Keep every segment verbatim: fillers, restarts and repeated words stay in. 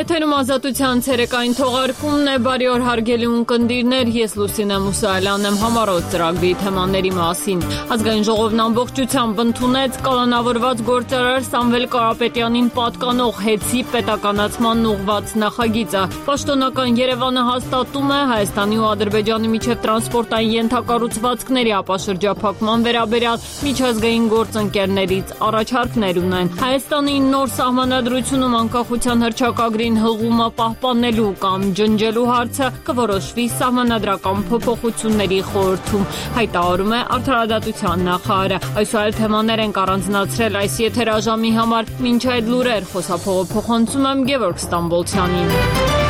Եթերում ազատության ցերեկային թողարկումն է, բարի օր հարգելի ունկնդիրներ, ես Լուսինե Մուսայելյանն եմ համառոտ ծրագրի թեմաների մասին։ Ազգային ժողովն ամբողջությամբ ընդունեց կալանավորված գործարար Սամվել Կարապետյանին պատկանող հեծի պետականացման ուղղված նախագիծը։ Պաշտոնական Երևանը հաստատում է Հայաստանի ու Ադրբեջանի միջև տրանսպորտային ենթակառուցվածքների ապաշրջափակման վերաբերյալ միջազգային գործընկերներից առաջարկներ ունեն։ Հայաստանի նոր սահմանադրությունում անկախության հռչակագրին հղումը պահպանելու կամ ջնջելու հարցը կորոշվի սահմանադրական փոփոխությունների խորհրդում, հայտարարում է Արդարադատության նախարարը։ Այսօր թեմաներ ենք առանձնացրել այս եթերաժամի համար։ Մինչ այդ լուրեր խոսափողը փոխանցում եմ Գևորգ Ստամբոլցյանին։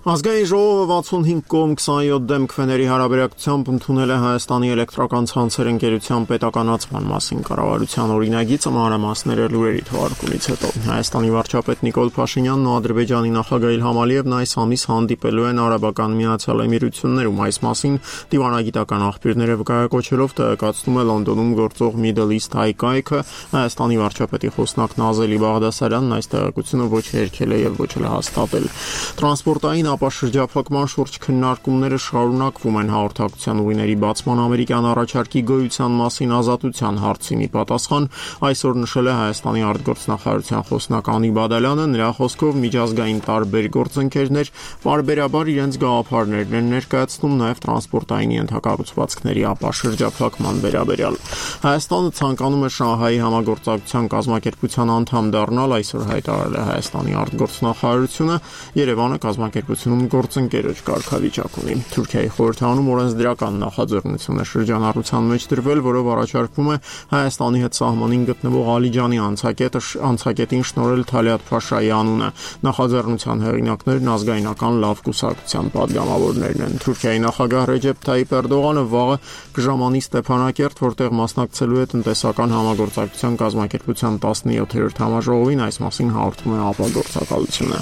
Ազգային ժողովը վաթսունհինգ կողմ քսանյոթ դեմ քվեների հարաբերակցությամբ ընդունել է Հայաստանի էլեկտրական ցանցեր ընկերության պետականացման մասին կառավարության օրինագիծը մանրամասները լուրերի թողարկումից հետո։ Հայաստանի վարչապետ Նիկոլ Փաշինյանն ու Ադրբեջանի նախագահ Իլհամ Ալիևն այս ամիս հանդիպելու են Արաբական Միացյալ Էմիրություններում։ Այս մասին դիվանագիտական աղբյուրները վկայակոչելով տեղեկացնում է Լոնդոնում գործող Middle East High կայքը։ Հայաստանի վարչապետի խոսնակ Նազելի Բաղդասարյանն այս տեղեկությունը ոչ հերքել է եւ ոչ էլ հաստատել։ Տրանսպորտային ապաշրջափակման շուրջ քննարկումները շարունակվում են հաղորդակցության ուղիների բացման ամերիկյան առաջարկի գոյության մասին ազատության հարցին ի պատասխան այսօր նշել է Հայաստանի արտգործնախարարության խոսնակ Անի Բադալյանը, նրա խոսքով միջազգային տարբեր գործընկերներ պարբերաբար իրենց գաղափարներն են ներկայացնում նաև տրանսպորտային ենթակառուցվածքների ապաշրջափակման վերաբերյալ։ Հայաստանը ցանկանում է Շանհայի համագործակցության կազմակերպության անդամ դառնալ, այսօր հայտարարել է Հայաստանի արտգործնախարարությունը, Երևանը կազմակերպությունում գործընկերոջ կարգավիճակ ունի։ Թուրքիայի խորհրդարանում օրենսդրական նախաձեռնություն է շրջանառության մեջ դրվել, որով առաջարկվում է Հայաստանի հետ սահմանին գտնվող Ալիջանի անցակետը անցակետին շնորհել Թալիաթ Փաշայի անունը։ Նախաձեռնության հեղինակներն ազգայնական լավ կուսակցության падգամավորներն են։ Թուրքիայի նախագահ Ռեջեփ Թայիփ Էրդողանը վաղը կժամանի Ստեփանակերտ, որտեղ մասնակցելու է տնտեսական համագործակցության կազմակերպության տասնյոթերորդ համաժողովին, այս մասին հաղորդում է ապագործակալությունը։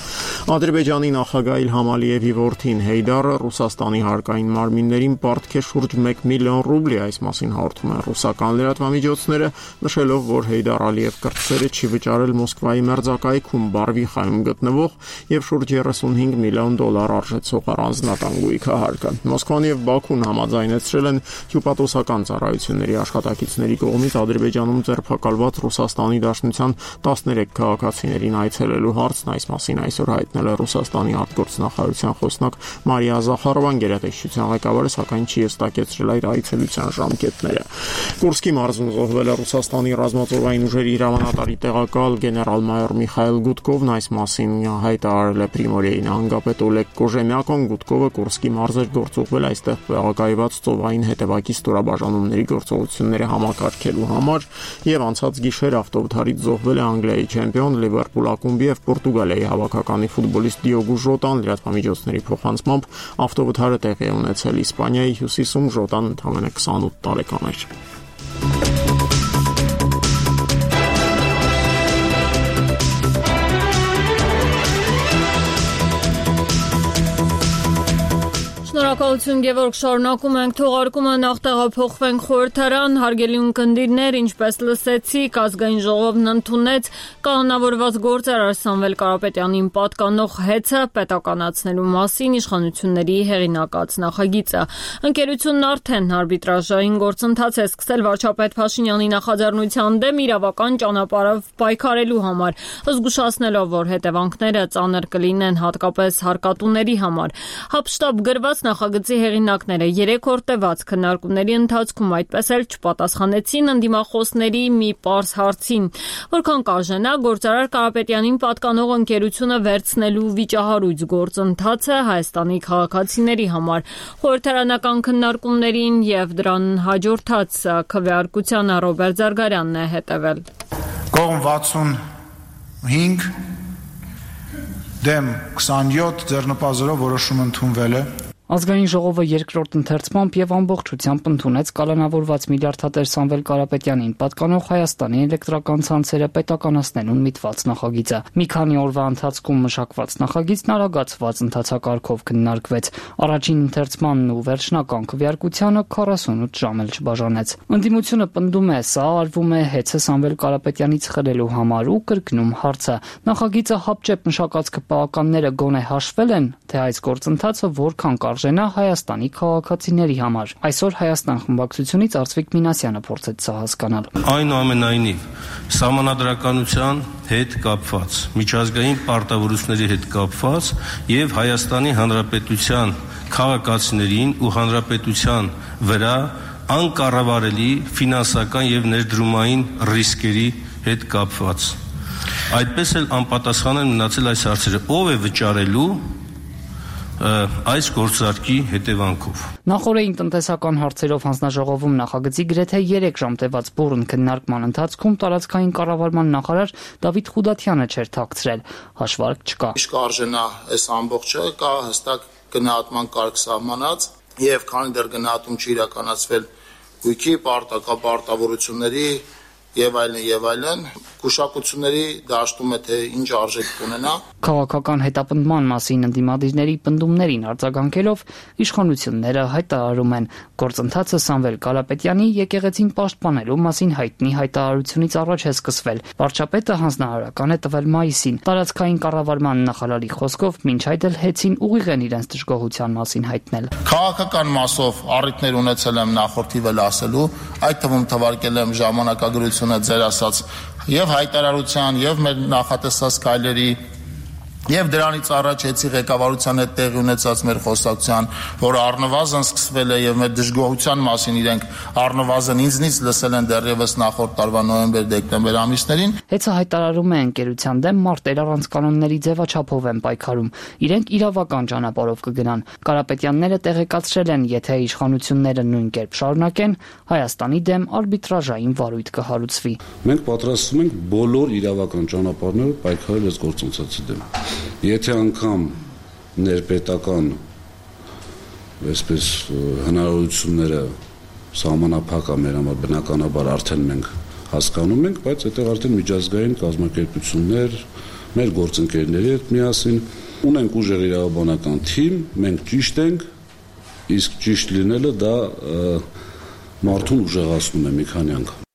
Ադրբեջանի նախագահ Իլհամ Ալիևի որդին Հեյդարը Ռուսաստանի հարկային մարմիններին պարտք է շուրջ մեկ միլիոն ռուբլի, այս մասին հաղորդում են ռուսական լրատվամիջոցները, նշելով, որ Հեյդար Ալիև կրտսերը չի վճարել Մոսկվայի մերձակայքում Բարվիխայում գտնվող եւ շուրջ երեսունհինգ միլիոն դոլար արժեցող առանձնական գույքահարկը։ Մոսկվան եւ Բաքուն համաձայնեցրել են հյուպատոսական ծառայությունների աշխատակիցների կողմից Ադրբեջանում ձերբակալված Ռուսաստանի Դաշնության տասներեք քաղաքացիներին այցելելու հարցն, այս մասին այսօր հայտնել է Ռուսաստանի արտգործնախարարության խոսնակ Մարիա Զախարովան, գերատեսչության ղեկավարը սակայն չի հստակեցրել այդ այցելության ժամկետները։ Կուրսկի մարզում զոհվել է Ռուսաստանի ռազմածովային ուժերի հրամանատարի տեղակալ գեներալ-մայոր Միխայել Գուտկովն, այս մասին հայտարարել է Պրիմորիայի նահանգապետ Օլեգ Կոժեմյակոն։ Գուտկովը Կուրսկի մարզեր գործուղվել այստեղ տեղակայված ծովային հետևակի ստորաբաժանումների գործողությունները համակարգելու համար եւ անցած գիշեր ավտովթարից զոհվել է Անգլիայի չեմպիոն Լիվերպուլ ակումբի եւ Պորտուգալիայի հավաքականի ֆուտբոլիստ Դիոգո Ժոտան, լրատվամիջոցների փոխանցմամբ ավտովթարը տեղի է ունեցել Իսպանիայի հյուսիսում, Ժոտան ընդամենը քսանութ տարեկան էր։ Շնորհակալություն Գևորգ, շարունակում ենք թողարկումը, նախ տեղափոխվենք խորհրդարան, հարգելի ունկնդիրներ, ինչպես լսեցիք, ազգային ժողովն ընդունեց կանոնավորված գործարար Սամվել Կարապետյանին պատկանող հեծը պետականացնելու մասին իշխանությունների հեղինակած նախագիծը։ Ընկերությունն արդեն արբիտրաժային գործընթաց է սկսել վարչապետ Փաշինյանի նախաձեռնության դեմ իրավական ճանապարհով պայքարելու համար, զգուշացնելով, որ հետևանքները ծանր կլինեն հատկապես հարկատուների համար։ Հապշտապ գրված նախագծի հեղինակները երեք օր տևած քննարկումների ընթացքում այդպես էլ չպատասխանեցին ընդդիմախոսների մի պարզ հարցին, որքան կարժենա գործարար Կարապետյանին պատկանող ընկերությունը վերցնելու վիճահարույց գործընթացը Հայաստանի քաղաքացիների համար։ Խորհրդարանական քննարկումներին եւ դրան հաջորդած քվեարկությանը Ռոբերտ Զարգարյանն է հետևել։ Կողմ վաթսունհինգ դեմ քսանյոթ ձեռնպազերով որոշում ընդունվել է։ Ազգային ժողովը երկրորդ ընթերցմամբ եւ ամբողջությամբ ընդունեց կալանավորված միլիարդատեր Սամվել Կարապետյանին պատկանող Հայաստանի էլեկտրական ցանցերը պետականացնելուն միտված նախագիծը։ Մի քանի օրվա ընթացքում մշակված նախագիծն արագացված ընթացակարգով քննարկվեց։ Առաջին ընթերցմանն ու վերջնական քվեարկությանը քառասունութ ժամ էլ չբաժանեց։ Ընդդիմությունը պնդում է, սա արվում է հեծը Սամվել Կարապետյանից խլելու համար ու կրկնում հարցը։ Նախագիծը հապճեպ մշակած քպականները գոնե հաշվել են, թե այս գործընթացը որքան կարժենա Հայաստանի քաղաքացիների համար։ Այսօր Հայաստան խմբակցությունից Արծվիկ Մինասյանը փորձեց սա հասկանալ։ Այնուամենայնիվ, սահմանադրականության հետ կապված, միջազգային պարտավորությունների հետ կապված եւ Հայաստանի Հանրապետության քաղաքացիներին ու հանրապետության վրա անկառավարելի ֆինանսական եւ ներդրումային ռիսկերի հետ կապված։ Այդպես էլ անպատասխան են մնացել այս հարցերը. ով է վճարելու այս գործարքի հետևանքով։ Նախորդին տնտեսական հարցերով հանձնաժողովում նախագծի գրեթե երեք ժամ տևած բուռն քննարկման ընթացքում տարածքային կառավարման նախարար Դավիթ Խուդաթյանը չէր թաքցրել, հաշվարկ չկա։ Իսկ արժենա այս ամբողջը կա հստակ գնահատման կարգ սահմանած եւ քանի դեռ գնահատում չի իրականացվել գույքի պարտավորությունների եւ այլն եւ այլն կուշակությունների դաշտում է թե ինչ արժեք կունենա։ Քաղաքական հետապնդման մասին ընդդիմադիրների պնդումներին արձագանքելով իշխանությունները հայտարարում են գործընթացը Սամվել Կարապետյանի եկեղեցին պաշտպանելու մասին հայտնի հայտարարությունից առաջ է սկսվել։ Վարչապետը հանձնարարական է տվել մայիսին։ Տարածքային կառավարման նախարարի խոսքով մինչ այդ էլ հեծին ուղիղ են իրենց դժգոհության մասին հայտնել։ Քաղաքական մասով առիթներ ունեցել եմ նախորդիվ էլ ասելու, այդ թվում թվարկել եմ ժամանակագրությունը ձեր ասած եւ հայտարարության եւ մեր նախատեսած քայլերի եւ դրանից առաջ էցի ղեկավարության հետ տեղի ունեցած մեր խոսակցության, որը առնվազն սկսվել է եւ մեր դժգոհության մասին իրենք առնվազն ինձնից լսել են դեռևս նախորդ տարվա նոյեմբեր-դեկտեմբեր ամիսներին։ Հեծը հայտարարում է ընկերության դեմ մարտեր առանց կանոնների ձևաչափով են պայքարում։ Իրենք իրավական ճանապարհով կգնան։ Կարապետյանները տեղեկացրել են, եթե իշխանությունները նույն կերպ շարունակեն, Հայաստանի դեմ արբիտրաժային վարույթ կհարուցվի։ Մենք պատրաստվում ենք բոլոր իրավական ճանապարհներով պայքարել այս գործընթացի դեմ։ Եթե անգամ ներպետական այսպես հնարավորությունները սահմանափակ է մեր համար բնականաբար արդեն մենք հասկանում ենք, բայց այդտեղ արդեն միջազգային կազմակերպություններ, մեր գործընկերների հետ միասին ունենք ուժեղ իրավաբանական թիմ, մենք ճիշտ ենք, իսկ ճիշտ լինելը դա մարդուն ուժեղացնում է մի քանի անգամ։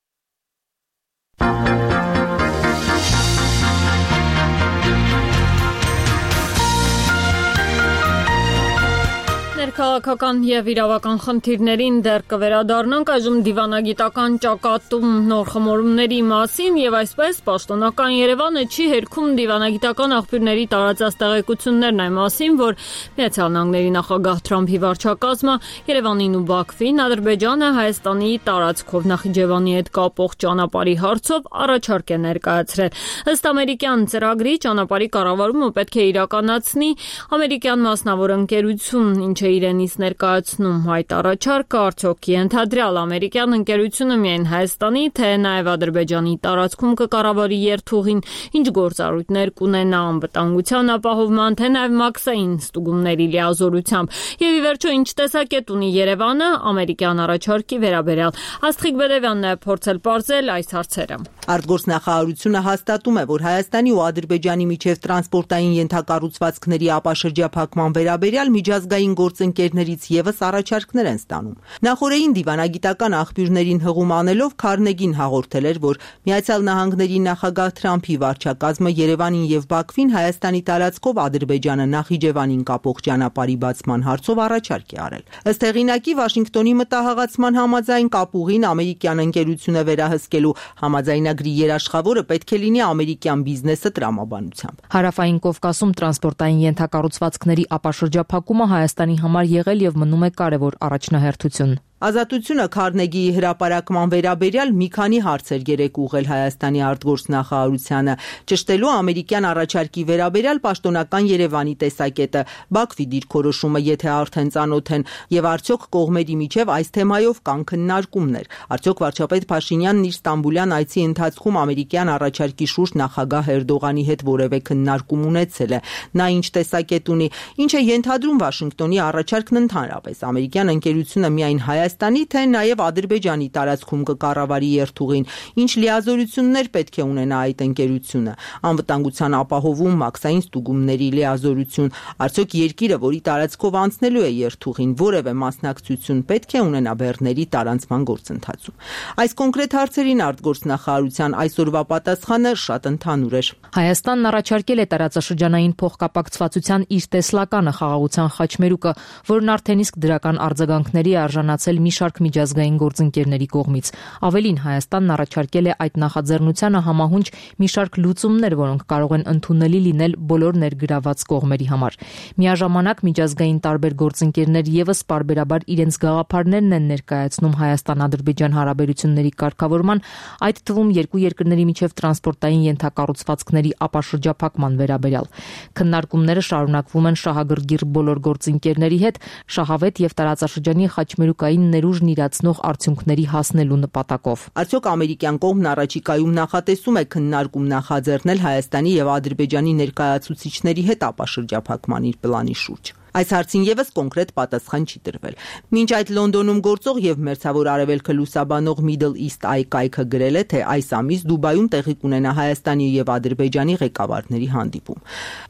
Քաղաքական եւ իրավական խնդիրներին դեռ կվերադառնանք այժմ դիվանագիտական ճակատում նոր խմորումների մասին եւ այսպես պաշտոնական Երևանը չի հերքում դիվանագիտական աղբյուրների տարածած տեղեկություններն այն մասին, որ Միացյալ Նահանգների նախագահ Թրամփի վարչակազմը Երևանին ու Բաքվին Ադրբեջանը Հայաստանի տարածքով Նախիջևանի հետ կապող ճանապարհի հարցով առաջարկ է ներկայացրել։ Ըստ ամերիկյան ծրագրի ճանապարհի կառավարումը պետք է իրականացնի ամերիկյան մասնավոր ընկերություն, ինչը իրենից ներկայացնում այդ առաջարկը արդյոք ենթադրյալ ամերիկյան ընկերությունը միայն Հայաստանի, թե նաև Ադրբեջանի տարածքում կկառավարի երթուղին, ինչ գործառույթներ կունենա անվտանգության ապահովման, թե նաև մաքսային ստուգումների լիազորությամբ։ Եվ ի վերջո ինչ տեսակետ ունի Երևանը ամերիկյան առաջարկի վերաբերյալ։ Աստղիկ Բեդևյանն է փորձել պարզել այս հարցերը։ Արտգործնախարարությունը հաստատում է, որ Հայաստանի ու Ադրբեջանի միջև տրանսպորտային ենթակառուցվածքների ապաշրջափակման վերաբերյալ միջազգային գործընկերներից եւս առաջարկներ են ստանում։ Նախորդին դիվանագիտական աղբյուրներին հղում անելով Քարնեգին հաղորդել էր, որ Միացյալ Նահանգների նախագահ Թրամփի վարչակազմը Երևանին եւ Բաքվին Հայաստանի տարածքով Ադրբեջանը Նախիջևանին կապող ճանապարհի բացման հարցով առաջարկ է արել։ Ըստ հեղինակի Վաշինգտոնի մտահղացման համաձայն կապուղին ամերիկյան ընկերությունը վերահսկելու համաձայնագրի երաշխավորը պետք է լինի ամերիկյան բիզնեսը տրամաբանությամբ։ Հարավային Կովկասում տրանսպորտային ենթակառուցվածքների ապաշրջափակումը Հայաստանի համար եղել եւ մնում է կարևոր առաջնահերթություն։ Ազատությունը Քարնեգիի հրապարակման վերաբերյալ մի քանի հարցեր երեկ ուղղել Հայաստանի արտգործնախարարությանը, ճշտելու ամերիկյան առաջարկի վերաբերյալ պաշտոնական Երևանի տեսակետը, Բաքվի դիրքորոշումը, եթե արդեն ծանոթ են, եւ արդյոք կողմերի միջև այս թեմայով կան քննարկումներ։ Արդյոք վարչապետ Փաշինյանն իր Ստամբուլյան այցի ընթացքում ամերիկյան առաջարկի շուրջ նախագահ Էրդողանի հետ որևէ քննարկում ունեցել է։ Նա ինչ տեսակետ ունի, ինչ է ենթադրում Վաշինգտոնի առաջարկն ընդհանրապես։ Ամերիկյան ընկերությունը միայն Հայաստանի, թե նաև Ադրբեջանի տարածքում կկառավարի երթուղին, ինչ լիազորություններ պետք է ունենա այդ ընկերությունը, անվտանգության ապահովում, մաքսային ստուգումների լիազորություն, արդյոք երկիրը, որի տարածքով անցնելու է երթուղին, որևէ մասնակցություն պետք է ունենա բեռների տարանցման գործընթացում։ Այս կոնկրետ հարցերին արտգործնախարարության այսօրվա պատասխանը շատ ընդհանուր էր։ Հայաստանն առաջարկել է տարածաշրջանային փոխկապակցվածության իր տեսլականը խաղաղության խաչմերուկը, որն արդեն իսկ դրական արձագանքների է արժանացել մի շարք միջազգային գործընկերների կողմից։ Ավելին, Հայաստանն առաջարկել է այդ նախաձեռնությանը համահունչ մի շարք լուծումներ, որոնք կարող են ընդունելի լինել բոլոր ներգրաված կողմերի համար։ Միաժամանակ միջազգային տարբեր գործընկերներ եւս պարբերաբար իրենց գաղափարներն են ներկայացնում Հայաստան-Ադրբեջան հարաբերությունների կարգավորման, այդ թվում երկու երկրների միջև տրանսպորտային ենթակառուցվածքների ապաշրջափակման վերաբերյալ։ Քննարկումները շարունակվում են շահագրգիռ բոլոր գործընկերների հետ, շահավետ եւ տարածաշրջանի խաչմերուկային ներուժն իրացնող արդյունքների հասնելու նպատակով։ Արդյոք ամերիկյան կողմն առաջիկայում նախատեսում է քննարկում նախաձեռնել Հայաստանի եւ Ադրբեջանի ներկայացուցիչների հետ ապաշրջափակման իր պլանի շուրջ։ Այս հարցին եւս կոնկրետ պատասխան չի տրվել։ Մինչ այդ Լոնդոնում գործող եւ Մերձավոր Արևելքը լուսաբանող Middle East Eye կայքը գրել է, թե այս ամիս Դուբայում տեղի կունենա Հայաստանի եւ Ադրբեջանի ղեկավարների հանդիպում։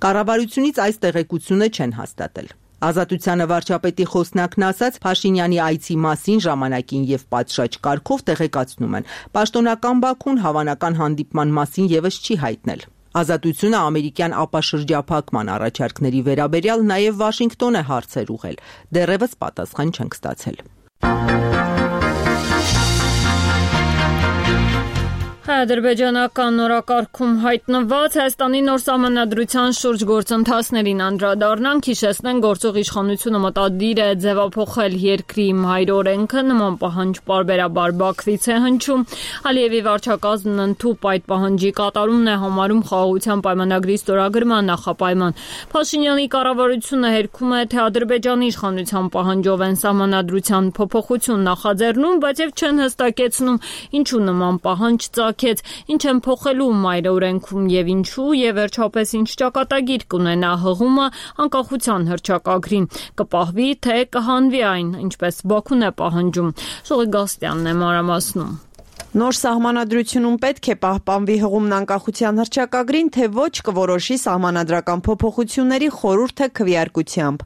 Կառավարությունից այս տեղեկությունը չեն հաստատել։ Ազատությանը վարչապետի խոսնակն ասաց, Փաշինյանի այցի մասին ժամանակին եւ պատշաճ կարգով տեղեկացնում են։ Պաշտոնական Բաքուն հավանական հանդիպման մասին եւս չի հայտնել։ Ազատությունը ամերիկյան ապաշրջափակման առաջարկների վերաբերյալ նաև Վաշինգտոն է հարցեր ուղղել։ Դեռևս պատասխան չենք ստացել։ Ադրբեջանական նորակարգում հայտնված Հայաստանի նոր սահմանադրության շուրջ գործընթացներին անդրադառնանք, հիշեցնենք, գործող իշխանությունը մտադիր է ձևափոխել երկրի մայրօրենքը, նման պահանջ պարբերաբար Բաքվից է հնչում։ Ալիևի վարչակազմն ընդհուպ այդ պահանջի կատարումն է համարում խաղաղության պայմանագրի ստորագրման նախապայման։ Փաշինյանի կառավարությունը հերքում է, թե Ադրբեջանի իշխանության պահանջով են սահմանադրության փոփոխություն նախաձեռնում, բայց եւ չեն հստակեցնում, ինչու նման պահանջ ծագեց, ինչ են փոխելու մայրօրենքում եւ ինչու, եւ վերջապես ինչ ճակատագիր կունենա հղումը անկախության հռչակագրին, կպահվի թե կհանվի այն, ինչպես Բաքուն է պահանջում։ Շողի Գաստյանն է մանրամասնում։ Նոր սահմանադրությունում պետք է պահպանվի հղումն անկախության հռչակագրին, թե ոչ կորոշի սահմանադրական փոփոխությունների խորհուրդը քվեարկությամբ։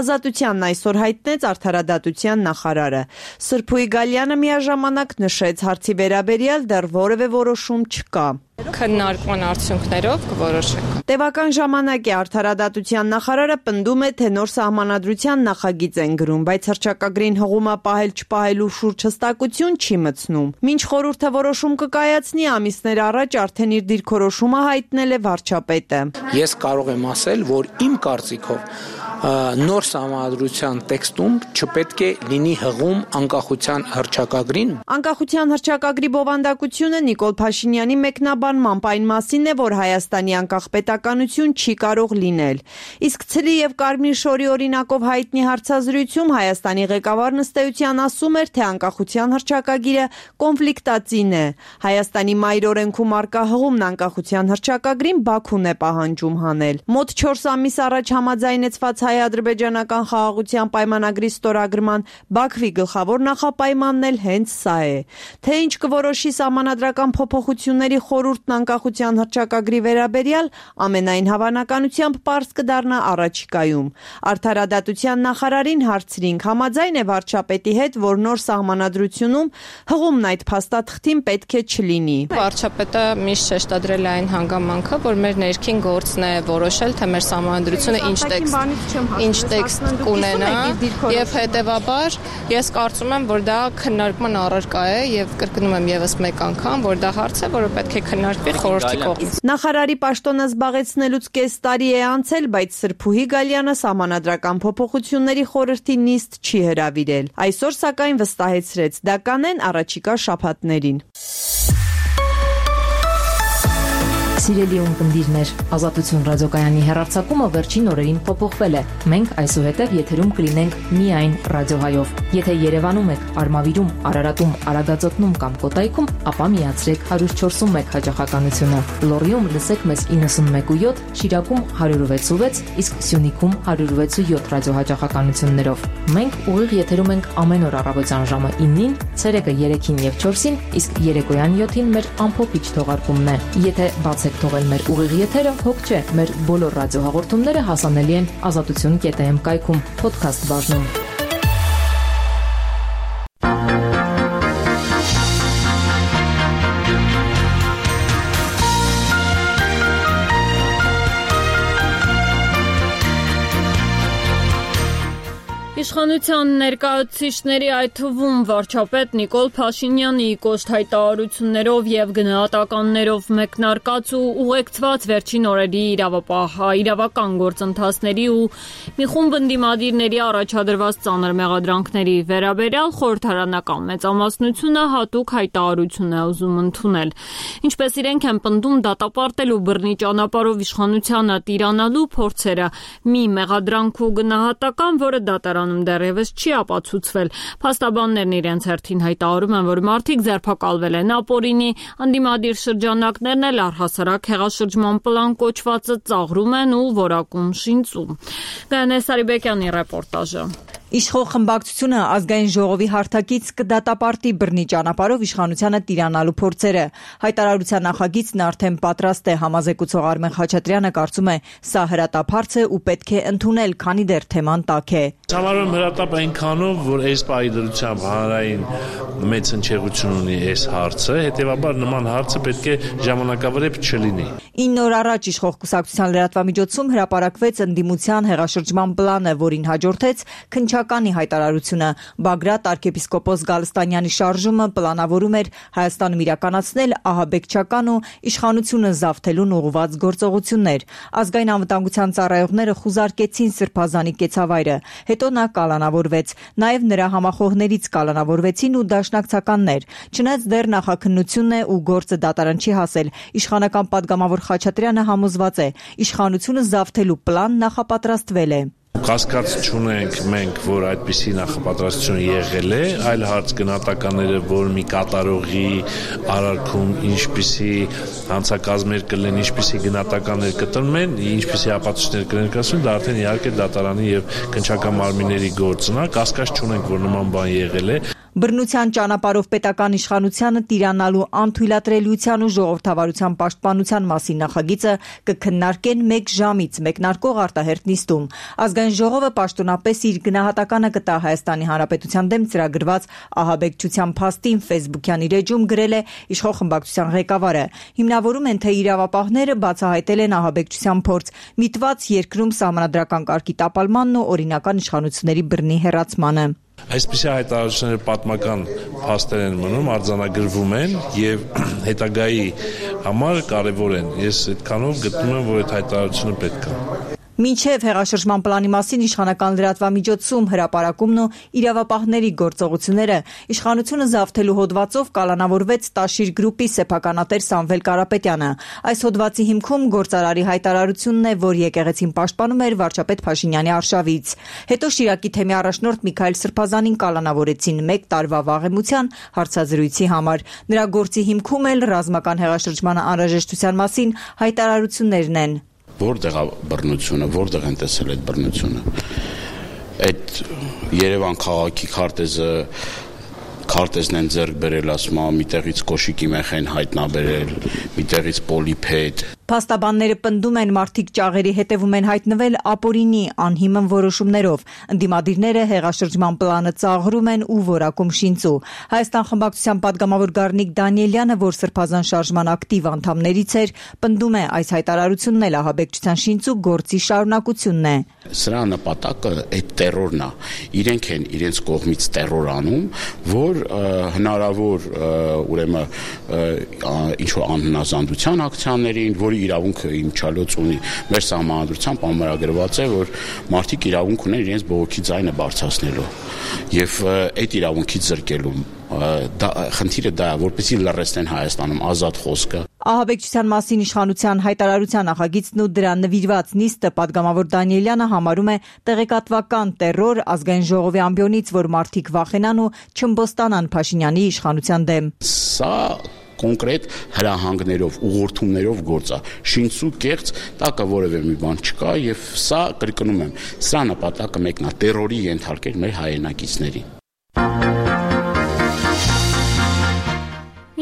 Ազատությանն այսօր հայտնեց արդարադատության նախարարը։ Սրփուի Գալյանը միաժամանակ նշեց, հարցի վերաբերյալ դեռ որևէ որոշում չկա։ Քննարկման արդյունքներով կորոշենք։ Տևական ժամանակ է արդարադատության նախարարը պնդում է, թե նոր սահմանադրության նախագիծ են գրում, բայց հռչակագրին հղումը պահել չպահելու շուրջ հստակություն չի մտցնում։ Մինչ խորհուրդը որոշում կկայացնի, ամիսներ առաջ արդեն իր դիրքորոշումը հայտնել է վարչապետը։ Ես կարող եմ ասել, որ իմ կարծիքով նոր սահմանադրության տեքստում չպետք է լինի հղում անկախության հռչակագրին։ Անկախության հռչակագրի բովանդակությունը Նիկոլ Փաշինյանի մեկնաբանմամբ այն մասին է, որ Հայաստանի անկախ պետականություն չի կարող լինել։ Իսկ ցլի եւ կարմիր շորի օրինակով հայտնի հարցազրույցում Հայաստանի ղեկավարն ըստ էության ասում էր, թե անկախության հռչակագիրը կոնֆլիկտածին է։ Հայաստանի մայրօրենքում արկա հղումն անկախության հռչակագրին Բաքուն է պահանջում հանել։ Մոտ չորս ամիս առաջ համաձայնեցված հայ-ադրբեջանական խաղաղության պայմանագրի ստորագրման Բաքվի գլխավոր նախապայմանն էլ հենց սա է։ Թե ինչ կորոշի սահմանադրական փոփոխությունների խորհուրդն անկախության հռչակագրի վերաբերյալ, ամենայն հավանականությամբ պարզ կդառնա առաջիկայում։ Արդարադատության նախարարին հարցրինք, համաձայն է վարչապետի հետ, որ նոր սահմանադրությունում հղումն այդ փաստաթղթին պետք է չլինի։ Վարչապետը միշտ շեշտադրել է այն հանգամանքը, որ մեր ներքին գործն է որոշել, թե մեր սահմանադրությունը ինչ տեքստ։ ինչ տեքստ կունենա, եւ հետեւաբար ես կարծում եմ, որ դա քննարկման առարկա է եւ կրկնում եմ եւս մեկ անգամ, որ դա հարց է, որը պետք է քննարկվի խորհրդի կողմից։ Նախարարի պաշտոնը զբաղեցնելուց կես տարի է անցել, բայց Սրփուհի Գալյանը սահմանադրական փոփոխությունների խորհրդի նիստ չի հրավիրել։ Այսօր սակայն վստահեցրեց, դա կանեն առաջիկա շաբաթներին։ Սիրելի ունկնդիրներ, Ազատություն ռադիոկայանի հեռարձակումը վերջին օրերին փոփոխվել է։ Մենք այսուհետև եթերում կլինենք միայն ռադիոհայով։ Եթե Երևանում եք, Արմավիրում, Արարատում, Արագածոտնում կամ Կոտայքում, ապա միացրեք one oh four one հաճախականությունը։ Լոռիում լսեք մեզ ninety-one point seven, Շիրակում one oh six point six, իսկ Սյունիքում one oh six point seven ռադիոհաճախականություններով։ Մենք ուղիղ եթերում ենք ամեն օր առավոտյան ժամը nine-ին, ցերեկը three-ին եւ four-ին, իսկ երեկոյան seven-ին մեր ամփոփիչ թողարկումն է։ Եթե բացեք թողել մեր ուղիղ եթերը, հոգ չէ, մեր բոլոր ռադիոհաղորդումները հասանելի են ազատություն կետ am կայքում, podcast բաժնում։ Իշխանության ներկայացուցիչների, այդ թվում վարչապետ Նիկոլ Փաշինյանի կոշտ հայտարարություններով եւ գնահատականներով մեկնարկած ու ուղեկցված վերջին օրերի իրավական գործընթացների ու մի խումբ ընդդիմադիրների առաջադրված ծանր մեղադրանքների վերաբերյալ խորհրդարանական մեծամասնությունը հատուկ հայտարարություն է ուզում ընդունել։ Ինչպես իրենք են պնդում, դատապարտելու բռնի ճանապարհով իշխանությանը տիրանալու փորձերը մի մեղադրանք ու գնահատական, որը դատարան դեռևս չի ապացուցվել։ Փաստաբաններն իրենց հերթին հայտարարում են, որ մարդիկ ձերբակալվել են ապօրինի, ընդդիմադիր շրջանակներն էլ առհասարակ հեղաշրջման պլան կոչվածը ծաղրում են ու որակում շինծում։ Գայանե Սարիբեկյանի ռեպորտաժը։ Իշխող խմբակցությունը ազգային ժողովի հարթակից կդատապարտի բռնի ճանապարհով իշխանությանը տիրանալու փորձերը։ Հայտարարության նախագիծն արդեն պատրաստ է, համազեկուցող Արմեն Խաչատրյանը կարծում է, սա հրատապ է ու պետք է ընդունել, քանի դեռ թեման տաք է։ Համարում հրատապ այնքանով, որ այս պայդրությամբ հանրային մեծ հնչեղություն ունի այս հարցը, հետևաբար նման հարցը պետք է ժամանակավրեպ չլինի։ ինը օր առաջ իշխող կուսակցության լրատվամիջոցում հրապարակվեց ընդդիմության հեղաշրջման պլանը, որին հաջորդեց քննչականի հայտարարությունը։ Բագրատ arczepiskopos Գալստանյանի շարժումը պլանավորում էր Հայաստանում իրականացնել ահաբեկչական ու իշխանությունը զավթելուն ուղղված գործողություններ։ Ազգային անվտանգության ծառայողները խուզարկեցին Սրբազանի կեցավայրը, հետո նա կալանավորվեց։ Նաև նրա համախոհներից կալանավորվեցին ու դաշնակցականներ։ Չնայած դեռ նախաքննությունն է ու գործը դատարան չի հասել, իշխանական падգամավոր Խաչատրյանը համոզված է, իշխանությունը զավթելու պլան նախապատրաստվել է։ Կասկած չունենք մենք, որ այդպիսի նախապատրաստություն եղել է, այլ հարց գնահատականները, որ մի կատարողի արարքում ինչպիսի հանցակազմեր կլինեն, ինչպիսի գնահատականներ կտրվում են, ինչպիսի ապացույցներ կներկայացվեն, դա արդեն իհարկե դատարանի եւ քննչական մարմինների գործն է, կասկած չունենք, որ նման բան եղել է։ Բռնության ճանապարհով պետական իշխանությանը տիրանալու անթույլատրելիության ու ժողովրդավարության պաշտպանության մասին նախագիծը կքննարկեն մեկ ժամից մեկնարկող արտահերթ նիստում։ Ազգային ժողովը պաշտոնապես իր գնահատականը կտա Հայաստանի Հանրապետության դեմ ծրագրված ահաբեկչության փաստին Facebook-յան իր էջում գրել է իշխող խմբակցության ղեկավարը։ Հիմնավորում են, թե իրավապահները բացահայտել են ահաբեկչության փորձ, միտված երկրում սահմանադրական կարգի տապալմանն ու օրինական իշխանությունների բռնի հեռացմանը։ Այսպիսի հայտարարությունները պատմական փաստեր են մնում, արձանագրվում են եւ հետագայի համար կարեւոր են։ Ես այդքանով գտնում եմ, որ այդ հայտարարությունը պետք է։ Մինչև հեղաշրջման պլանի մասին իշխանական լրատվամիջոցում հրապարակումն ու իրավապահների գործողությունները իշխանությունը զավթելու հոդվածով կալանավորվեց Տաշիր գրուպի սեփականատեր Սամվել Կարապետյանը։ Այս հոդվածի հիմքում գործարարի հայտարարությունն է, որ եկեղեցին պաշտպանում էր վարչապետ Փաշինյանի արշավից։ Հետո Շիրակի թեմի առաջնորդ Միքայել Սրբազանին կալանավորեցին մեկ տարվա վաղեմության հարցազրույցի համար։ Նրա գործի հիմքում էլ ռազմական հեղաշրջման անհրաժեշտության մասին հայտարարություններն են։ Որտեղ է բռնությունը, որտեղ են տեսել այդ բռնությունը։ Այդ Երևան քաղաքի քարտեզը քարտեզն են ձեռք բերել, ասում եմ, միտեղից կոշիկի մեխեն հայտնաբերել, միտեղից պոլիփեդ։ Փաստաբանները պնդում են, մարդիկ ճաղերի հետևում են հայտնվել ապօրինի անհիմն որոշումներով։ Ընդդիմադիրները հեղաշրջման պլանը ծաղրում են ու որակում շինծու։ Հայաստան խմբակցության պատգամավոր Գառնիկ Դանիելյանը, որ Սրբազան շարժման ակտիվ անդամներից էր, պնդում է, այս հայտարարությունն էլ ահաբեկչության շինծու գործի շարունակությունն է։ Սրա նպատակը այդ տերորն է։ Իրենք են իրենց կողմից տերոր անում, որ հնարավոր ուրեմն ինչ-որ անհնազանդության ակցիաներին, որի իրավունքը իմչալոց ունի մեր սահմանադրությամբ ամրագրված է, որ մարդիկ իրավունք ունեն իրենց բողոքի ձայնը բարձրացնելու եւ այդ իրավունքից զրկելու դա խնդիրը դա է, որպեսզի լռեցնեն Հայաստանում ազատ խոսքը։ Ահաբեկչության մասին իշխանության հայտարարության նախագիծն ու դրան նվիրված նիստը պատգամավոր Դանիելյանը համարում է տեղեկատվական տերոր ազգային ժողովի ամբիոնից, որ մարդիկ վախենան ու չըմբոստանան Փաշինյանի իշխանության դեմ։ Սա կոնկրետ հրահանգներով, ուղղորդումներով գործ է։ Շինծու կեղծ տակը որևէ մի բան չկա եւ սա կրկնում եմ, սա նպատակը մեկն է՝ տերորի ենթարկել մեր հայրենակիցներին։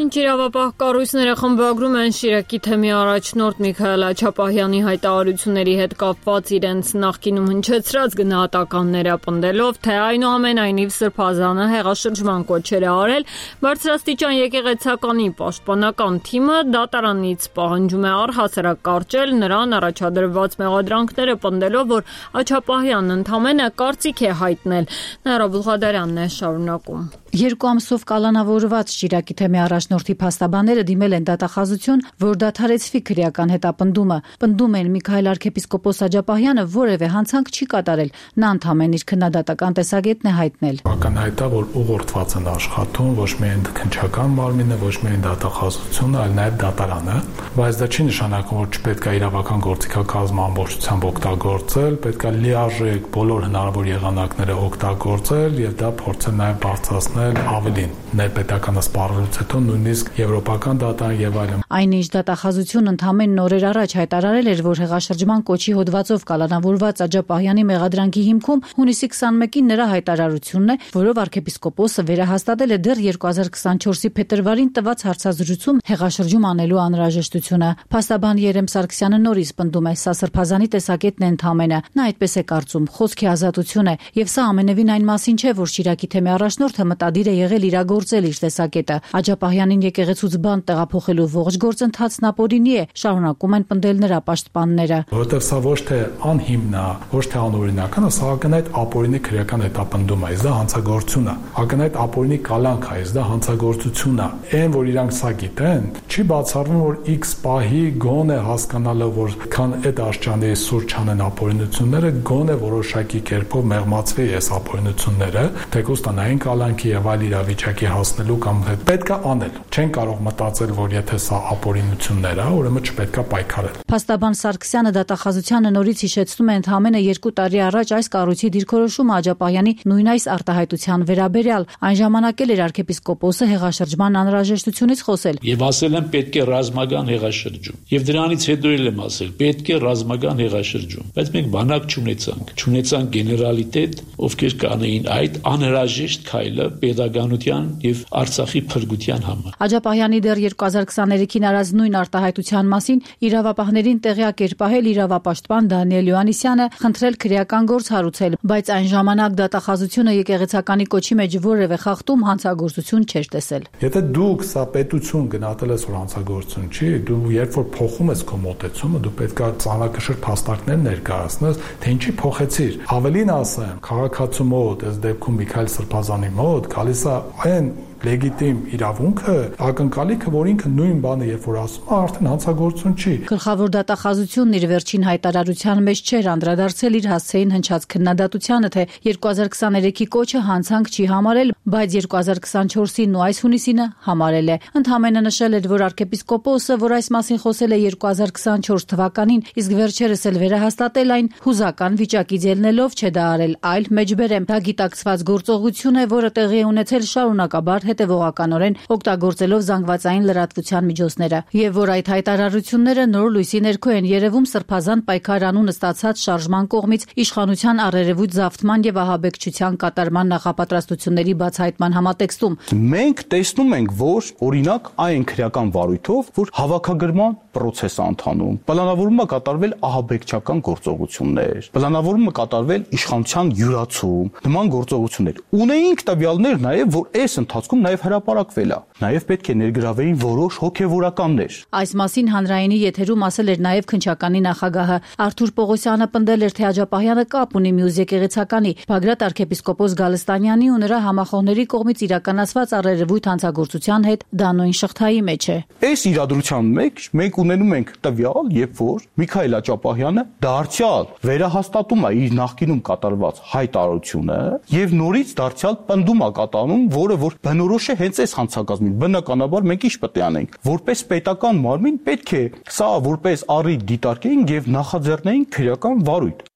Ինչ իրավապահ կառույցները խմբագրում են Շիրակի թեմի առաջնորդ Միքայել Աչապահյանի հայտարարությունների հետ կապված իրենց նախկինում հնչեցրած գնահատականները պնդելով, թե այնուամենայնիվ Սրբազանը հեղաշրջման կոչեր է արել, բարձրաստիճան եկեղեցականի պաշտպանական թիմը դատարանից պահանջում է առհասարակ կարճել նրան առաջադրված մեղադրանքները, պնդելով, որ Աչապահյանն ընդամենը կարծիք է հայտնել։ Նաիրա Բուլղադարյանն է շարունակում։ Երկու ամսով կալանավորված Շիրակի թեմի առաջնորդի փաստաբանները դիմել են դատախազություն, որ դադարեցվի քրեական հետապնդումը։ Պնդում են Միքայել arczepiskopos Աջապահյանը որևէ հանցանք չի կատարել, նա ընդամենը իր քննադատական տեսակետն է հայտնել։ Ակնհայտ է, որ ուղղորդված են աշխատում ոչ միայն քննչական մարմինը, ոչ միայն դատախազությունը, այլ նաև դատարանը, բայց դա չի նշանակում, որ չպետք է իրավական գործիքակազմը ամբողջությամբ օգտագործել, պետք է լիարժեք բոլոր հնարավոր եղանակները օգտագործել եւ դա փորձել նաև բարձրացնել ավելին ներպետականը սպառելուց հետո նույնիսկ եվրոպական դատան եւ այլն։ Այնինչ դատախազությունն ընդամենը օրեր առաջ հայտարարել էր, որ հեղաշրջման կոչի հոդվածով կալանավորված Աջապահյանի մեղադրանքի հիմքում հունիսի քսաներկին նրա հայտարարությունն է, որով arczepiskopos-ը վերահաստատել է դեռ երկու հազար քսաներկուի փետրվարին տված հարցազրույցում հեղաշրջում անելու անհրաժեշտությունը։ Փաստաբան Երեմ Սարգսյանը նորից պնդում է, սա Սրբազանի տեսակետն է ընդամենը։ Նա այդպես է կարծում, խոսքի ազատություն է եւ սա ամենևին այն մասին չէ, որ Շիրակի թեմի առաջնորդը մտադիր է եղել իրագործել իր տեսակետը։ Աջապահյանին եկեղեցուց բանտ տեղափոխելու ողջ գործընթացն ապօրինի է, շարունակում են պնդել նրա պաշտպանները։ Որովհետև սա ոչ թե անհիմն է, ոչ թե անօրինական է, սա ակնհայտ ապօրինի քրեական հետապնդում է, դա հանցագործություն է։ Ակնհայտ ապօրինի կալանք է, դա հանցագործություն է։ Այն, որ իրանք սա գիտեն, չի բացառվում, որ X պահի գոնե հասկանալով, որ քան այդ աշճանի սուրճ անեն ապօրինությունները, գոնե որոշակի կերպով մեղմացվի այս ապօրինությունները, թեկուզ տնային կալանքի եւ այլ իրավիճակի հասնելու կամ պետք է անել։ Չեն կարող մտածել, որ եթե սա ապօրինություններ է, ուրեմն չպետք է պայքարել։ Փաստաբան Սարգսյանը դատախազությանը նորից հիշեցնում է ընդամենը երկու տարի առաջ այս կառույցի դիրքորոշումը Աջապահյանի նույն այս արտահայտության վերաբերյալ։ Այն ժամանակ էլ էր arczepiskopos-ը հեղաշրջման անհրաժեշտությունից խոսել։ Եվ ասել են պետք է ռազմական հեղաշրջում։ Եվ դրանից հետո էլ եմ ասել պետք է ռազմական հեղաշրջում։ Բայց մենք բանակ չունեցանք, չունեցանք գեներալիտետ, ովքեր կանեին այդ անհրաժեշտ քայլը pedagogian եւ Արցախի փրկության համար։ Աջապահյանի դեռ երկու հազար քսաներեքին արած նույն արտահայտության մասին իրավապահներին տեղյակ էր պահել իրավապաշտպան Դանիել Յոհաննիսյանը, խնդրել քրեական գործ հարուցել, բայց այն ժամանակ դատախազությունը եկեղեցականի կոչի մեջ որևէ խախտում հանցագործություն չէր տեսել։ Եթե դուք սա պետություն գնահատել ես, որ հանցագործություն չի, դու երբ որ փոխում ես քո մոտեցումը, դու պետք է ծանրակշիռ փաստարկներ ներկայացնես, թե ինչի փոխեցիր։ Ավելին ասեմ, քաղաքացու մոտ, այս դեպքում Միքայել Սրբազանի մոտ գալիս է այն լեգիտիմ իրավունքը, ակնկալիքը, որ ինքը նույն բանը երբ որ ասում է, արդեն հանցագործություն չի։ Գլխավոր դատախազությունն իր վերջին հայտարարության մեջ չէր անդրադարձել իր հասցեին հնչած քննադատությանը, թե երկու հազար քսաներեքի կոչը հանցանք չի համարել, բայց երկու հազար քսանչորսին ու այս հունիսինը համարել է։ Ընդհանրապես նշել էր, որ arczepiskopos-ը, որ այս մասին խոսել է երկու հազար քսանչորս թվականին, իսկ վերջերս էլ վերահաստատել այն, հուզական վիճակից ելնելով չէ դա արել, այլ մեջբերեմ։ Դա գիտակցված գործողություն է, որը տեղի է ունեցել շարունակաբար հետևողականորեն օգտագործելով զանգվածային լրատվության միջոցները, եւ որ այդ հայտարարությունները նոր լույսի ներքո են երևում սրբազան պայքար անուն ստացած շարժման կողմից իշխանության առերևույթ զավթման եւ ահաբեկչության կատարման նախապատրաստությունների բացահայտման համատեքստում։ Մենք տեսնում ենք, որ օրինակ այն քրեական վարույթով, որ հավաքագրման process է ընթանում, պլանավորվում է կատարվել ահաբեկչական գործողություններ, պլանավորվում է կատարվել իշխանության յուրացում, նման գործողություններ։ Ունեինք տվյալներ նաև, որ այս ընթացքում նաև հրապարակվել է։ Նաև պետք է ներգրավեին որոշ հոգևորականներ։ Այս մասին հանրայինի եթերում ասել էր նաև քննչականի նախագահը Արթուր Պողոսյանը, պնդել էր, թե Աջափահյանը կապ ունի մյուս եկեղեցականի Բագրատ arczepiskopos Գալստանյանի ու նրա համախոհների կողմից իրականացված առերևույթ հանցագործության հետ դա նույն շղթայի մեջ է։ Այս իրադրության մեջ մենք ունենում ենք տվյալ, երբ որ Միքայել Աջափահյանը դարձյալ վերահաստատում է իր նախկինում կատարված հայտարարությունը եւ նորից դարձյալ պնդում է կատարում, որը որ բնորոշ է հենց այս հանցագազմին։ Բնականաբար մենք ինչ պետք է անենք, որպես պետական մարմին պետք է սա որպես առիթ դիտարկեինք եւ նախաձեռնեինք քրեական վարույթ։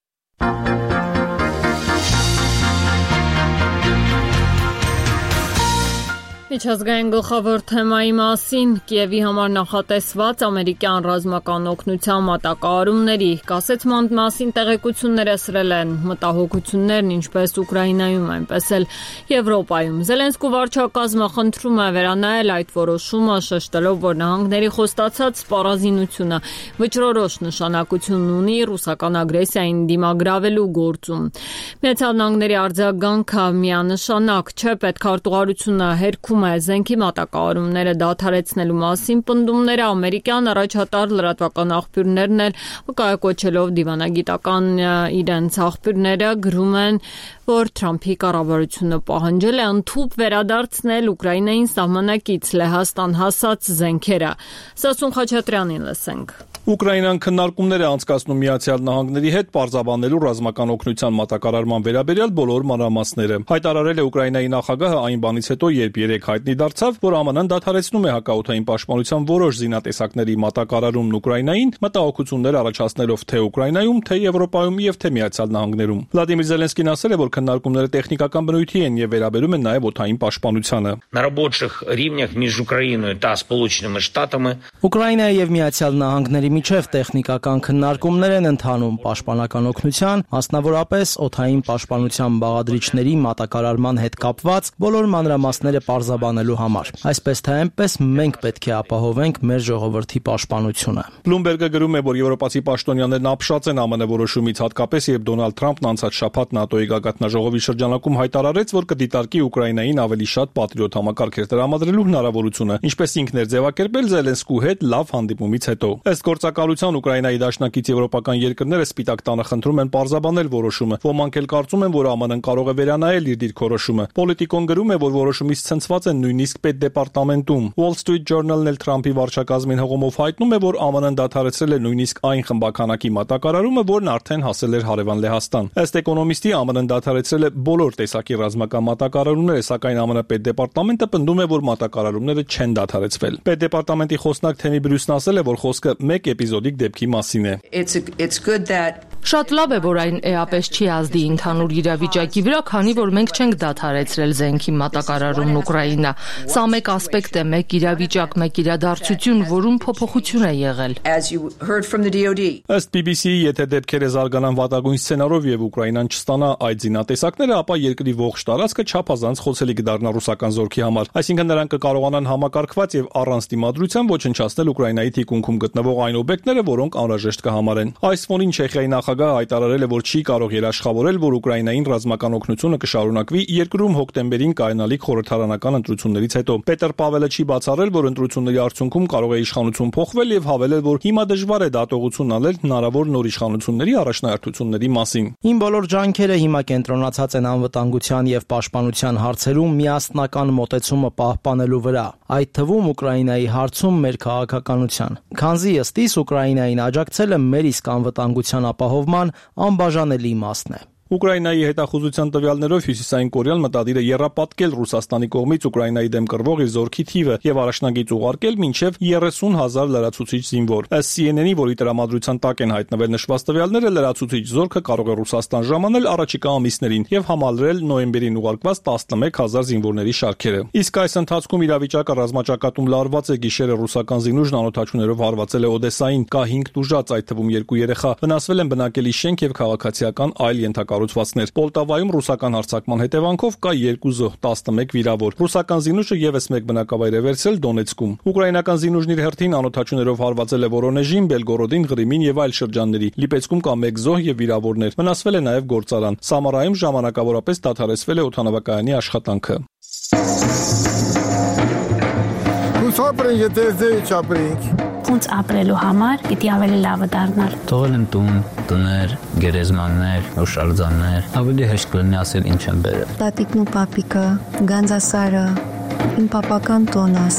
Միջազգային գլխավոր թեմայի մասին Կիևի համար նախատեսված ամերիկյան ռազմական օգնության մատակարարումների կասեցման մասին տեղեկություններ ասրել են մտահոգություններն ինչպես Ուկրաինայում, այնպես էլ Եվրոպայում։ Զելենսկու վարչակազմը խնդրում է վերանայել այդ որոշումը, շեշտելով, որ նահանգների խոստացած սպառազինությունը վճռորոշ նշանակություն ունի ռուսական ագրեսիային դիմագրավելու գործում։ Միացյալ Նահանգների արձագանքը միանշանակ չէ, պետքարտուղարությունը հերքում զենքի մատակարարումները դադարեցնելու մասին պնդումները ամերիկյան առաջատար լրատվական աղբյուրներն էլ վկայակոչելով դիվանագիտական իրենց աղբյուրները գրում են, որ Թրամփի կառավարությունը պահանջել է ընդհուպ վերադարձնել Ուկրաինային սահմանակից Լեհաստան հասած զենքերը։ Սասուն Խաչատրյանին լսենք։ Ուկրաինան քննարկումներ է անցկացնում Միացյալ Նահանգների հետ պարզաբանելու ռազմական օգնության մատակարարման վերաբերյալ բոլոր մանրամասները։ Հայտարարել է Ուկրաինայի նախագահը այն բանից հետո, երբ երեկ հայտնի դարձավ, որ ԱՄՆ-ն դադարեցնում է հակաօդային պաշտպանության որոշ զինատեսակների մատակարարումն Ուկրաինային, մտահոգություններ առաջացնելով թե Ուկրաինայում, թե Եվրոպայում եւ թե Միացյալ Նահանգներում։ Վլադիմիր Զելենսկին ասել է, որ քննարկումները տեխնիկական բնույթի են եւ վերաբերում են նաեւ օդային պաշտպանությանը։ Ուկրաինայի եւ Միացյալ Նահանգների միջև տեխնիկական քննարկումներ են ընթանում պաշտպանական օգնության, մասնավորապես օդային պաշտպանության բաղադրիչների մատակարարման հետ կապված բոլոր մանրամասները պարզաբանելու համար։ Այսպես թե այնպես մենք պետք է ապահովենք մեր ժողովրդի պաշտպանությունը։ Բլումբերգը գրում է, որ եվրոպացի պաշտոնյաներն ապշած են ԱՄՆ որոշումից, հատկապես երբ Դոնալդ Թրամփն անցած շաբաթ ՆԱՏՕ-ի գագաթնաժողովի շրջանակում հայտարարեց, որ կդիտարկի Ուկրաինային ավելի շատ պատրիոտ համակարգեր տրամադրելու հնարավորությունը, ինչպես ինքն էր ձևակերպել Զելենսկու հետ լավ հանդիպումից հետո։ Ըստ գործակալության Ուկրաինայի դաշնակից եվրոպական երկրները Սպիտակ տանը խնդրում են պարզաբանել որոշումը։ Ոմանք էլ կարծում են, որ ԱՄՆ-ն կարող է վերանայել իր դիրքորոշումը։ Պոլիտիկոն գրում է, որ որոշումից ցնցված են նույնիսկ պետդեպարտամենտում։ Wall Street Journal-ն էլ Թրամփի վարչակազմին հողոմով հայտնում է, որ ԱՄՆ-ն դադարեցրել է նույնիսկ այն խմբականակի մատակարարումը, որն արդեն հասել էր հարևան Լեհաստան։ Ըստ էկոնոմիստի ԱՄՆ-ն դադարեցրել է բոլոր տեսակի ռազմական մատակարարումները, սակայն ԱՄՆ պետդեպարտամենտը պնդում է, որ մատակարարումները չեն դադարեցվել։ Պետդեպարտամենտի խոսնակ Թեմի Բրյուսն ասել է, որ խոսքը մեկ էպիզոդիկ դեպքի մասին է։ Շատ լավ է, որ այն էապես չի ազդի ընդհանուր իրավիճակի վրա, քանի որ մենք չենք դադարեցրել զենքի մատակարարումն Ուկրաինա։ Սա մեկ ասպեկտ է, մեկ իրավիճակ, մեկ իրադարձություն, որում փոփոխություն է եղել։ Ըստ բի բի սի-ի, եթե դեպքերը զարգանան վատագույն սցենարով եւ Ուկրաինան չստանա այդ զինատեսակները, ապա երկրի ողջ տարածքը չափազանց խոցելի կդառնա ռուսական զորքի համար։ Այսինքն նրանք կկարողանան համակարգված եւ առանց դիմադրության ոչնչացնել Ուկրաինայի թիկունքում գտնվող այն օբյեկտները, որոնք անհրաժեշտ կհամարեն։ Այս ֆոնին Չեխիայի նախագահը հայտարարել է, որ չի կարող երաշխավորել, որ Ուկրաինային ռազմական օգնությունը կշարունակվի երկրում հոկտեմբերին կայանալիք խորհրդարանական ընտրություններից հետո։ Պետր Պավելը չի բացառել, որ ընտրությունների արդյունքում կարող է իշխանություն փոխվել եւ հավելել, որ հիմա դժվար է դատողություն անել հնարավոր նոր իշխանությունների առաջնահերթությունների մասին։ Իմ բոլոր ջանքերը հիմա կենտրոնացած են անվտանգության եւ պաշտպանության հարցերում միասնական մոտեցումը պահպանելու վրա, այդ թվում Ուկրաինայի հարցում մեր քաղաքականության։ Քանզի ըստիս Ուկրաինային աջակցելը մեր իսկ անվտանգության ապահովման անբաժանելի մասն է։ Ուկրաինայի հետախուզության տվյալներով Հյուսիսային Կորեան մտադիր է եռապատկել Ռուսաստանի կողմից Ուկրաինայի դեմ կռվող իր զորքի թիվը եւ առաջնագիծ ուղարկել մինչեւ երեսուն հազար լրացուցիչ զինվոր։ Ըստ C N N-ի, որի տրամադրության տակ են հայտնվել նշված տվյալները, լրացուցիչ զորքը կարող է Ռուսաստան ժամանել առաջիկա ամիսներին եւ համալրել նոյեմբերին ուղարկված տասնմեկ հազար զինվորների շարքերը։ Իսկ այս ընթացքում իրավիճակը ռազմաճակատում լարված է։ Գիշերը ռուսական զինուժն անօթաչուներով հարվածել է Օդեսային, կա հինգ տուժած, այդ թվում երկու երեխա։ Վնասվել են բնակելի շենք եւ քաղաքացիական այլ ենթակառուցվածքներ։ Պոլտավայում ռուսական հարձակման հետևանքով կա երկու զոհ, տասնմեկ վիրավոր։ Ռուսական զինուժը եւս մեկ բնակավայր է վերցրել Դոնեցկում։ Ուկրաինական զինուժն իր հերթին անօթաչուներով հարվածել է Վորոնեժին, Բելգորոդին, Ղրիմին եւ այլ շրջանների։ Լիպեցկում կա մեկ զոհ եւ վիրավորներ։ Վնասվել է նաեւ գործարան։ Սամարայում ժամանակավորապես դադարեցվել է օդանավակայանի աշխատանքը։ Ապրենք, եթե ձեր չապրենք։ Ոնց ապրելու համար պիտի ավելի լավը դառնալ։ Թողել եմ տուն, տներ, գերեզմաններ, օշալձաններ, ավելի հեշտ կլինի ասել ինչ եմ բերել։ Տատիկն ու պապիկը, Գանձասարը, իմ պապական տոնաս։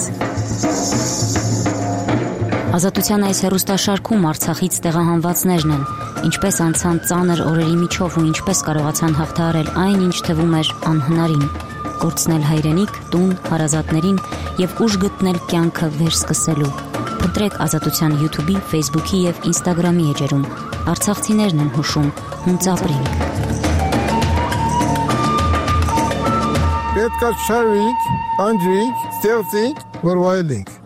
Ազատության այս հեռուստաշարքում Արցախից տեղահանվածներն են, ինչպես անցան ծանր օրերի միջով ու ինչպես կարողացան հաղթահարել այն, ինչ թվում էր անհնարին։ Կորցնել հայրենիք, տուն, հարազատներին եւ ուժ գտնել կյանքը վերսկսելու։ Փնտրեք Ազատության YouTube-ի, Facebook-ի եւ Instagram-ի էջերում։ Արցախցիներն են հուշում, հունց ապրենք։ Պետք է շարվենք, անջրենք, ստեղծենք, որ վայելենք։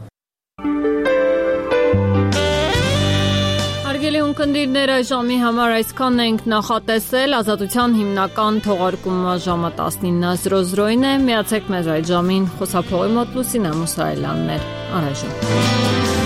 Հարգելի ունկնդիրներ, այս ժամի համար այսքանն ենք նախատեսել։ Ազատության հիմնական թողարկումը ժամը տասնինը զրո զրոին է։ Միացեք մեզ այդ ժամին խոսափողի մոտ Լուսինե Մուսայելյանն էր։ Առայժմ։